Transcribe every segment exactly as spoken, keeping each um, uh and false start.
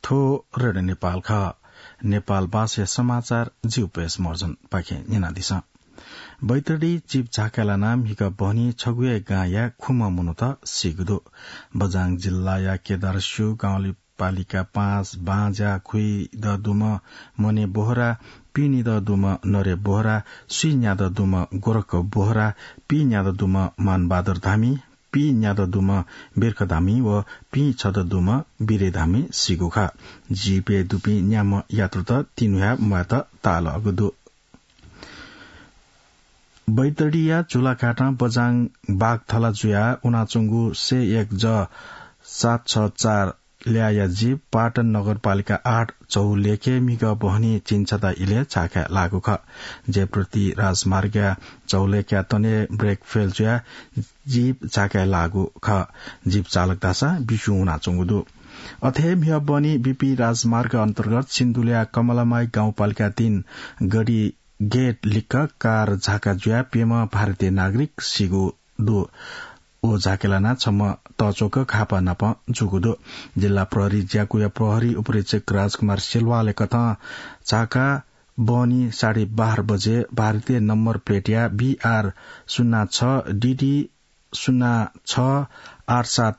थ्व रेडियो नेपाल खः। नेपाल भाषाया समाचार जिउ पेश मर्जन पाखें न्यनादिसँ। बैतडी जीप झाकाय् लानाः म्हिगः बहनी छगू हे गांया खुम्ह मनूत सीगु दु। बझाङ जिल्लाया केदारस्यू गाउँपालिका पाँच बांज्या खुइदँ दुम्ह मने बोहरा, पिनिदँ दुम्ह नरे बोहरा, स्वीन्यादँ दुम्ह गोरख बोहरा, पीन्यादँ दुम्ह मानबहादुर धामी, पीन्यादँ दुम्ह बिर्ख धामी व पीछदँ दुम्ह बिरे धामी सीगु खः। जीपय् दुपिं न्याम्ह यात्रुत तिन्हुया म्वायेत ताःलाःगु दु। बैतडीया झुलाघाटं बझाङ बाघ थला जुयाः उनाच्वंगु सय एक ज सात छ चार ल्याःया जीप पाटन नगरपालिका आठ झौलेखे म्हिगः बहनी झिंछता इलय् झाकाय् लाःगु खः। जयप्रति राजमार्गया झौलेख्या तनय् ब्रेक फेल जुयाः जीप झाकाय् लाःगु खः। जीप चालक धाःसा बिस्युं वनाच्वंगु दु। अथे म्हिगः बहनी बीपी राजमार्ग अन्तर्गत सिन्धुल्या कमलामाई गाउँपालिका तीन गडी गेट लिक्क कार झाका जुयाः प्यम्ह भारतीय नागरिक सीगु दु। व झाकाय् लानाः छम्ह तःच्वंक घाःपाः नाप जूगु दु। जिल्ला प्रहरी ज्याकुया प्रहरी उपरीक्षक राजकुमार सिल्वालय् कथं झाका बहनी साढे बाह्र बजे भारतीय नम्बर प्लेटया बीआर शून्य छ डिडी शून्य छ आठ सात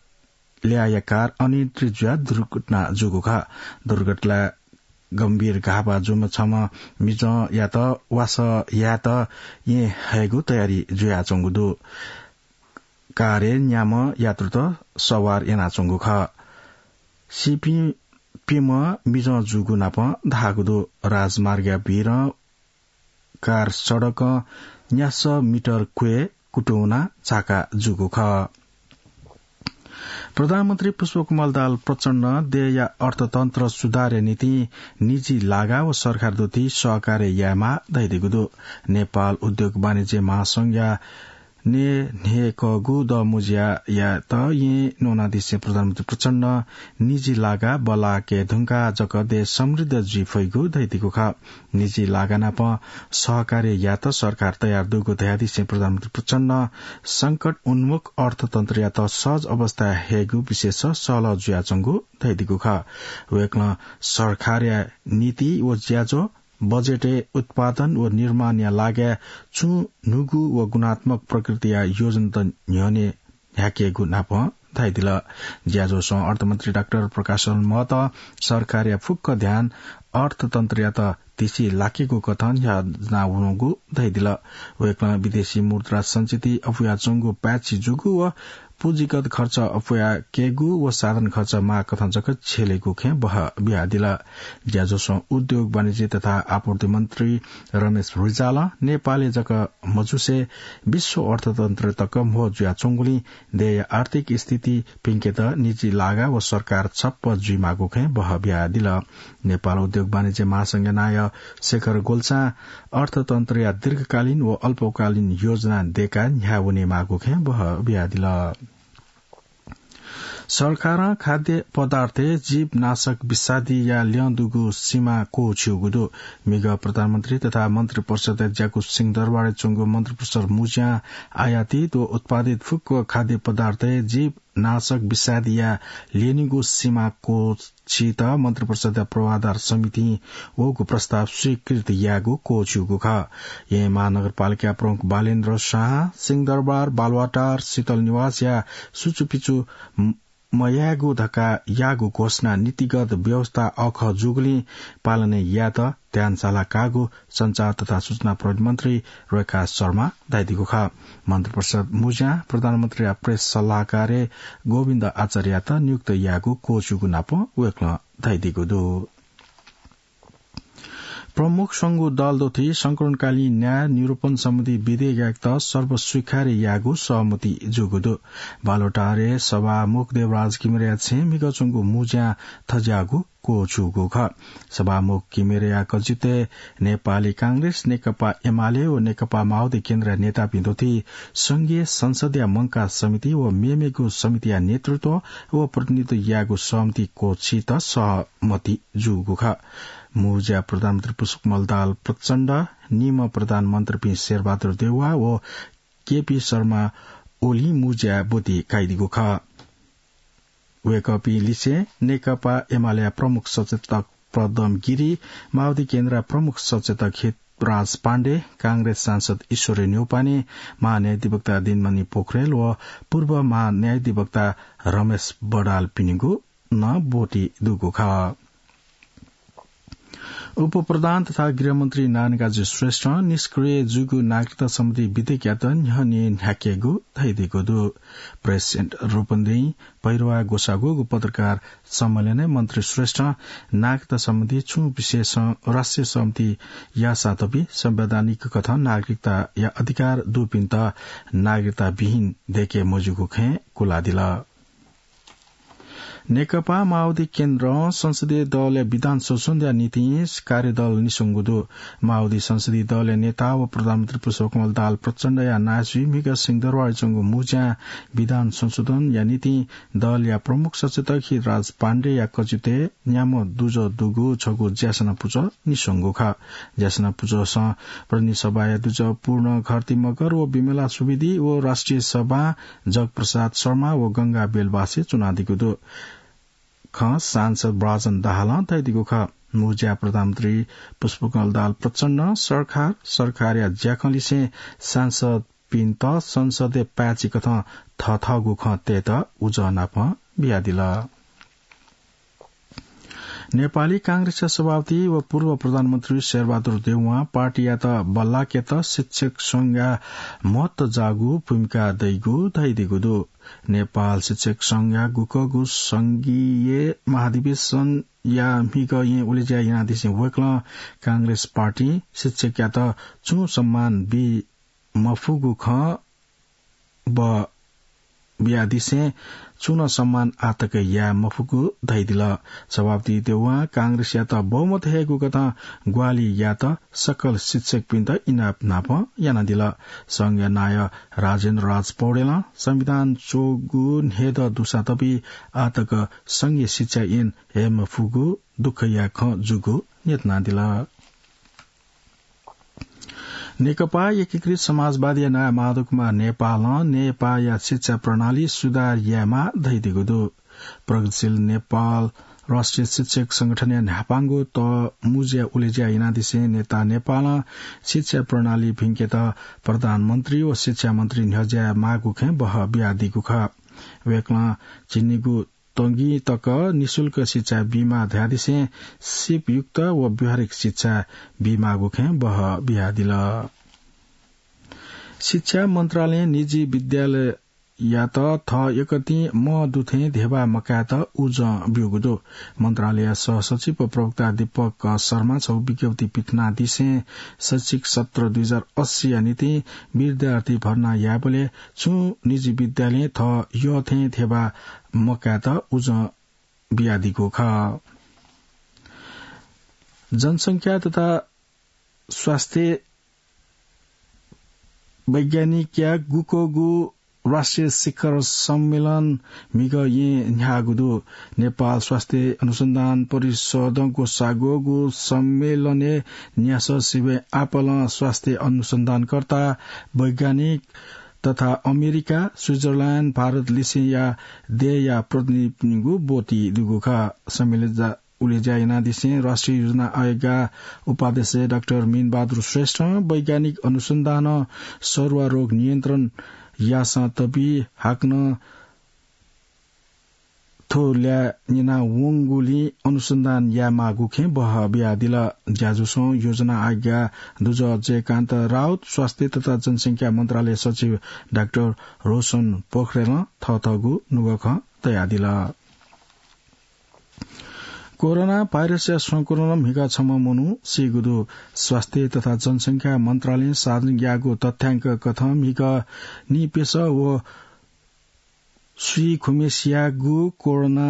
ल्याःया कार अनियन्त्रित जुयाः दुर्घटना जूगु खः। दुर्घटनाय् गम्भीर घाःपाः जूम्ह छम्ह मिजंयात वासः यायेत येँ हयेगु तयारी जुयाच्वंगु दु। कारय् न्याम्ह यात्रुत सवार यानाच्वंगु खः। सीपिं प्यम्ह मिजं जूगु नाप धाःगु दु। राजमार्गया भीरं कार सडकं न्यासः मिटर क्वय् कुतुं वनाः झाका जूगु खः। प्रधानमन्त्री पुष्पकमल दाहाल प्रचण्डं देय्‌या अर्थतन्त्र सुधारया निंतिं निजी लागा व सरकार दुथि सहकार्य यायेमाः धयादीगु दु। नेपाल उद्योग वाणिज्य महासंघया न्हय्‌न्हय्‌कःगु दँमुँज्यायात येँ न्वनादिसें प्रधानमन्त्री प्रचण्डं निजी लागा बल्लाकेधुंकाः जक देश समृद्ध जुइ फइगु धयादीगु खः। निजी लागा नाप सहकार्य यायेत सरकार तयार दुगु धयादिसें प्रधानमन्त्री प्रचण्डं संकट उन्मुख अर्थतन्त्रयात सहज अवस्थाय् हयेगु विषयस सहलह जुयाच्वंगु धयादीगु खः। वय्‌कलं सरकारया नीति व ज्याझ्वः बजेटय् उत्पादन व निर्माणया लागाय् छुं न्हूगु व गुणात्मक प्रकृतिया योजनात न्ह्यःने न्ह्याकेगु नाप धयादिल। ज्याझ्वलय् अर्थमन्त्री डाक्टर प्रकाश महतं सरकारया फुक्क ध्यान अर्थतन्त्रयात तिछि लाकेगु कथं न्ह्यानावंगु धयादिल। वय्‌कलं विदेशी मुद्रा संचिति अप्वयाच्वंगु पाय्‌छि जूगु व पुँजीगत खर्च अप्वयाकेगु व साधन खर्च माःकथं जक झेलेगु खँय् बहः बियादिल। ज्याझ्वलय् उद्योग वाणिज्य तथा आपूर्ति मन्त्री रमेश रिजालं नेपालय् जक मजुसे विश्व अर्थतन्त्र तक म्हो जुयाच्वंगुलिं देय्‌या आर्थिक स्थिति प्यंकेत निजी लागा व सरकार छप्प जुइमाःगु खँय् बहः बियादिल। नेपाल उद्योग वाणिज्य महासंघया नायः शेखर गोल्छां अर्थतन्त्रया दीर्घकालीन व अल्पकालीन योजना दय्‌काः न्ह्याः वनेमाःगु खँय् बहः बियादिल। सरकारं खाद्य पदार्थय् जीवनाशक विषादीया ल्यं दुगु सीमा क्वःछिउगु दु। म्हिगः प्रधानमन्त्री तथा मन्त्रिपरिषदय् ज्याकू सिंहदरबारय् च्वंगु मन्त्रिपरिषद मुँज्यां आयातित व उत्पादित फुक्क खाद्य पदार्थय् जीवनाशक विषादीया ल्यनीगु सीमा क्वःछित मन्त्रिपरिषदया पूर्वाधार समितिं वःगु प्रस्ताव स्वीकृत यायेगु क्वःछिउगु खः। येँ महानगरपालिका प्रमुख बालेन्द्र शाहं सिंहदरबार, बालुवाटार, शीतल निवासया सुचुपिचु म-, मयायेगु धकाः याःगु घोषणा नीतिगत व्यवस्था अःखः जूगुलिं पालना यायेत ध्यान साला काःगु सञ्चार तथा सूचना प्रविधि मन्त्री रेखा शर्मां धयादीगु खः। मन्त्रिपरिषद मुँज्यां प्रधानमन्त्रीया प्रेस सल्लाहकारय् गोविन्द आचार्ययात नियुक्त यायेगु क्वःछिउगु नाप वय्‌कलं धयादीगु दु। प्रमुख स्वंगू दल दुथि संकलनकालीन न्याय निरूपण सम्बन्धी विधेयकयात सर्वस्वीकार्य यायेगु सहमति जूगु दु। बालुवाटारय् सभामुख देवराज किमिरेया छेँय् म्हिगः च्वंगु मुँज्यां थज्याःगु क्वःछिउगु खः। सभामुख किमिरेया कचित्वय् नेपाली कांग्रेस, नेकपा एमाले व नेकपा माओवादी केन्द्रया नेतापिं दुथि संघीय संसदया मंकाः समिति व मेमेगु समितिया नेतृत्व व प्रतिनिधित्व यायेगु सहमति क्वःछित सहमति जूगु खः। मुँज्या प्रधानमन्त्री पुष्पकमल दाहाल प्रचण्ड, निम्ह प्रधानमन्त्रीपिं शेरबहादुर देउवा व केपी शर्मा ओलीं मुँज्या ब्वति काइदीगु खः। वय्कःपिं लिसें नेकपा एमालेया प्रमुख सचेतक पद्म गिरी, माओवादी केन्द्रया प्रमुख सचेतक हितराज पाण्डे, कांग्रेस सांसद ईश्वरी न्यौपाने, महान्यायाधिवक्ता दिनमणि पोखरेल व पूर्व महान्यायाधिवक्ता रमेश बडालपिनिगु नं ब्वति दुगु खः। उपप्रधान तथा गृहमन्त्री नारायणकाजी श्रेष्ठं निष्क्रिय जूगु नागरिकता सम्बन्धी विधेयकयात न्ह्यःने न्ह्याकेगु धयादीगु दु। प्रेस सेन्टर रूपन्देही भैरवा ग्वसाः ग्वःगु पत्रकार सम्मेलनय् मन्त्री श्रेष्ठं नागरिकता सम्बन्धी छुं विषयसं राष्ट्रिय सहमति याःसाथ भी संवैधानिक कथं नागरिकताया अधिकार दुपिन्त नागरिकता विहीन दय्के मज्यूगु खँय् कुलादिल। नेकपा माओवादी केन्द्रं संसदीय दलया विधान संशोधनया निंतिं कार्यदल निस्वंगु दु। माओवादी संसदीय दलया नेता व प्रधानमन्त्री पुष्पकमल दाहाल प्रचण्डया नायःसुइ म्हिगः सिंहदरबारय् च्वंगु मुँज्यां विधान संशोधनया निंतिं दलया प्रमुख सचेतक हितराज पाण्डेया कचितय् न्याम्ह दुजः दुगु छगू ज्यासना पुचः निस्वंगु खः। ज्यासना पुचःसं प्रतिनिधि सभाया दुजः पूर्ण घरती मगर व विमला सुवेदी व राष्ट्रिय सभां जगप्रसाद शर्मा व गंगा बेलबासे च्वनादीगु दु। खँ सांसद ब्राजन दाहालं धयादीगु खः। मुँज्या प्रधानमन्त्री पुष्पकमल दाहाल प्रचण्डं सरकार, सरकारया ज्याखँलिसें सांसदपिन्त संसदय् पाय्‌छि कथं थथःगु खँ तयेत उजं नापं बियादिल। नेपाली कांग्रेसया सभापति व पूर्व प्रधानमन्त्री शेरबहादुर देउवां पार्टीयात बल्लाकेत शिक्षक संघया महत्व जाःगु भूमिका दइगु धयादीगु दु। नेपाल शिक्षक संघया गुकःगु संघीय महाधिवेशनया म्हिगः येँ उलेज्या यानादिसें वय्कलं कांग्रेस पार्टीं शिक्षकयात छुं सम्मान बी मफुगु खँ ब बियादिसें छुं नं सम्मान आःतक याये मफुगु धयादिल। सभापति देउवां कांग्रेसयात बहुमत हयेगु कथं ग्वाहालि यायेत सकल शिक्षकपिन्त इनाप नापं यानादिल। संघया नायः राजेन्द्र राज पौडेलं संविधान च्वःगु न्हय्दँ दुसां तबि आःतक संघीय शिक्षा ऐन हये मफुगु दुःखया खँ जूगु न्ह्यथनादिल। नेकपा एकीकृत समाजवादीया नायः माधव कुमार नेपालं नेपाःया शिक्षा प्रणाली सुधार यायेमाः धयादीगु दु। प्रगतिशील नेपाल राष्ट्रिय शिक्षक संगठनया न्हापांगु तः मुँज्या उलेज्या यानादिसें नेता नेपालं शिक्षा प्रणाली भिंकेत प्रधानमन्त्री व शिक्षा मन्त्री न्ह्यज्याये माःगु खँय् बहः बियादीगु खः। वय्कलं झिंनिगू तंगिं तक निशुल्क शिक्षा बीमाः धयादिसें सिपयुक्त व व्यावहारिक शिक्षा बीमाःगु खँय् बहः बियादिल। शिक्षा मन्त्रालयं निजी विद्यालययात थः यकतिं मं दुथें धेबा मकायेत उजं ब्यूगु दु। मन्त्रालयया सहसचिव व प्रवक्ता दीपक शर्मां छगू विज्ञप्ति पिथनादिसें शैक्षिक सत्र दुई हजार अस्सीया निंतिं विद्यार्थी भर्ना यायेबलय् छुं निजी विद्यालयं थः यःथें धेबा मकायेत उजं बियादीगु खः। जनसंख्या तथा स्वास्थ्य वैज्ञानिकया गुकःगु राष्ट्रिय शिखर सम्मेलन म्हिगः येँ न्ह्याःगु दु। नेपाल स्वास्थ्य अनुसन्धान परिषदं ग्वसाः ग्वःगु सम्मेलनय् न्यासः सिबें आपालं स्वास्थ्य अनुसन्धानकर्ता, वैज्ञानिक तथा अमेरिका, स्विजरल्याण्ड, भारत लिसेंया देय्‌या प्रतिनिधिपिनिगु ब्वति दुगु खः। सम्मेलन जा-, उलेज्या यानादिसें राष्ट्रिय योजना आयोगया उपाध्यक्ष डाक्टर मीनबहादुर श्रेष्ठं वैज्ञानिक अनुसन्धानं सरुवा रोग नियन्त्रण याःसां तबि हाकनं थ्व ल्याः न्यनावंगुलिं अनुसन्धान यायेमाःगु खँय् बहः बियादिल। ज्याझ्वलय् योजना आज्ञा दुजः जयकान्त राउत, स्वास्थ्य तथा जनसंख्या मन्त्रालय सचिव डाक्टर रोशन पोखरेलं थःथःगु नुगः खँ तयादिल। कोरोना भाइरसया संक्रमणं म्हिगः छम्ह मनू सीगु दु। स्वास्थ्य तथा जनसंख्या मन्त्रालयं सार्वजनिक याःगु तथ्याङ्क कथं म्हिगः निप्यसः व स्वीखुम्हेसियागु कोरोना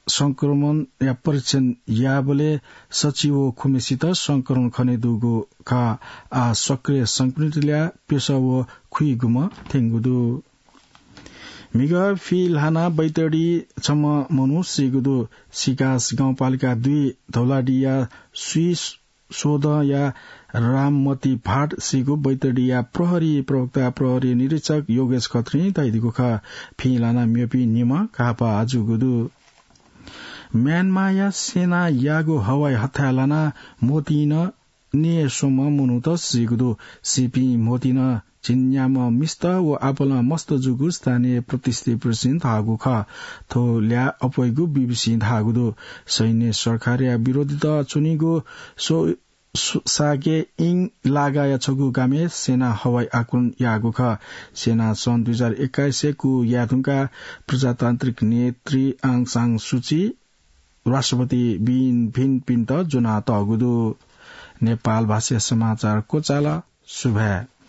संक्रमणया परीक्षण याःबलय् सच्छि व खुम्हेसित संक्रमण खनेदुगु खः। आः सक्रिय संक्रमितया प्यसः व खुइगुम्ह थ्यंगु दु। म्हिगः फिल्हाना बैतडी छम्ह मनू सीगु दु। सिकास गाउँपालिका दुई धौलाडीया स्वीस सोधया राममती भाट सीगु बैतडीया प्रहरी प्रवक्ता प्रहरी निरीक्षक योगेश खत्रीं धयादीगु खः। फिं लाना म्यपी निम्ह घाःपाः जूगु दु। म्यानमाया सेनायागु हवाई हत्याय् लाना म्होतिन न्यय् स्वम्ह मनूत सीगु दु। सीपिं म्होतिन झिंन्याम्ह मिस्त व आपालं मस्त जूगु स्थानीय प्रतिनिधिपिन्सं धाःगु खः। थ्व ल्याः अप्वइगु बीबीसीं धाःगु दु। सैन्य सरकारया विरोधीत च्वनीगु सो-, सो-, सागे इङ लागाया छगू गामय् सेनां हवाई आक्रमण याःगु खः। सेनां सन् दुई हजार एक्काइसय् कु याये धुंकाः प्रजातान्त्रिक नेत्री आङ सान सुची राष्ट्रपति बिन भिनपिन्त ज्वनातःगु दु। नेपाल भाषाया समाचार क्वचाल। सुभाय्।